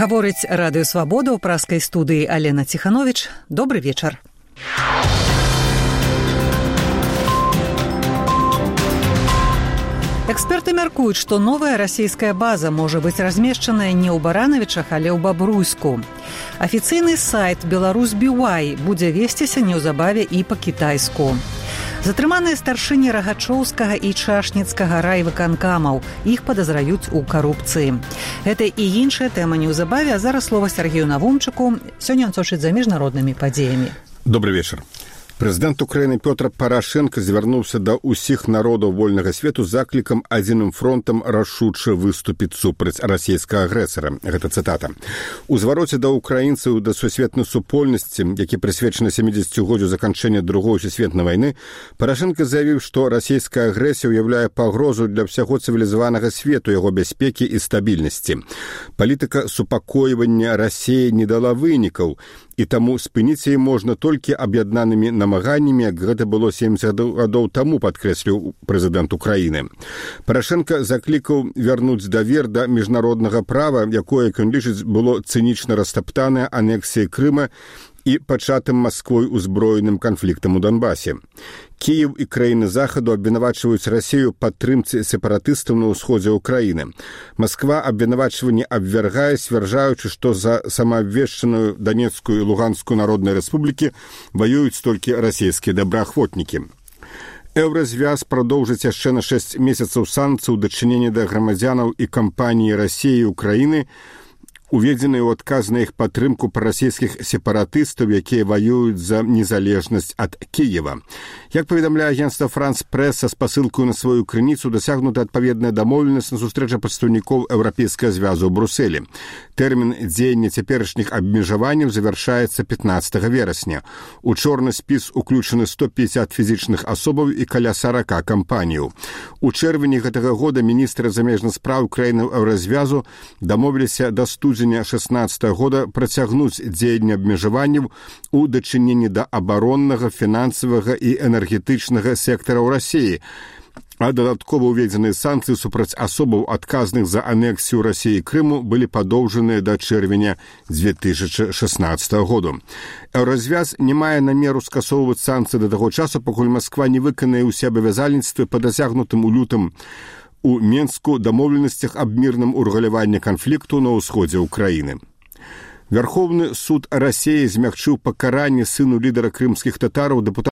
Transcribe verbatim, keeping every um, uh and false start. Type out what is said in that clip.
Гаворыць Радыё Свабода ў праскай студыі Алена Ціхановіч. Добры вечар. Эксперты мяркуюць, што новая расійская база можа быць размешчаная не ў Баранавічах, але ў Бабруйску. Афіцыйны сайт «Беларусь би уай» будзе весціся неўзабаве і па-кітайску. Затрыманыя старшыні Рагачоўскага і Чашніцкага райвыканкамаў. Іх падазраюць у карупцыі. Гэта і іншая тэма неўзабаве, а зараз слова Сергею Навумчыку. Сёння ён сочыць за міжнароднымі падзеямі. Добрый вечар. Прэзідэнт Украіны Пётр Парашенко звярнуўся да ўсіх народаў вольнага свету з заклікам адзіным фронтам рашуча выступіць супраць расійскага агрэсара. Гэта цытата. У звароце да украінцаў да сусветнай супольнасці, які прысвечаны сямідзесяцігоддзю заканчэння другой сусветнай вайны, Парашенко заявіў, што расійская агрэсія ўяўляе пагрозу для ўсяго цывілізаванага свету, яго бяспекі і стабільнасці. Палітыка супакойвання Расіі не дала вынікаў, і таму спыніць яе можна толькі аб'яднанымі намаганнямі, як гэта было сямдзесят гадоў таму, падкрэсліў прэзідэнт Украіны. Парашенка заклікаў вярнуць давер да міжнароднага права, якое, як ён лічыць, было цынічна растаптанае анексіяй Крыма і пачатым Масквой узброеным канфліктам у Донбасе. Кіеў і краіны захаду абвінавачваюць Расію падтрымцы сепаратыстаў на ўсходзе ўкраіны. Масква абвінавачванне абвяргае, сцвярджаючы, што за самаабвешчаную Данецкую і Луганскую народныя рэспублікі ваююць толькі расійскія добраахвотнікі. Еўразвяз прадоўжыць яшчэ на шэсць месяцаў санкцый у дачыненні да грамадзянаў і кампаніі Расіі і Украіны, уведзеныя ў адказ на іх падтрымку прарасійскіх сепаратыстаў, якія ваююць за незалежнасць ад Кіева. Як паведамляе агенцтва «Франс Прэс» са спасылкаю на сваю крыніцу, дасягнута адпаведная дамоўленасць на сустрэчы прадстаўнікоў Еўрапейскага звязу ў Брусэлі. Тэрмін дзеяння цяперашніх абмежаванняў завяршаецца пятнаццатага верасня. У чорны спіс уключаны сто пятьдесят фізічных асобаў і каля сорока кампаніяў. У чэрвені гэтага года міністры замежных спраў краінаў Еўразвязу дамовіліся да студзеня шэснаццатага года працягнуць дзеянне абмежаванняў у дачыненні да абароннага, фінансавага і энергетычнага сектараў Расіі, а дадаткова ўведзеныя санкцыі супраць асобаў, адказных за анексію Расіі Крыму, былі падоўжаныя да чэрвеня дзве тысячы шэснаццатага году. Еўразвяз не мае намеру скасоўваць санкцыі да таго часу, пакуль Масква не выканае ўсе абавязальніцтвы па дасягнутым у лютым у Менску дамоўленасцях аб мірным урэгуляванні канфлікту на ўсходзе ўкраіны. Верховны суд Расіі змягчыў пакаранне сыну лідара крымскіх татараў, дэпутата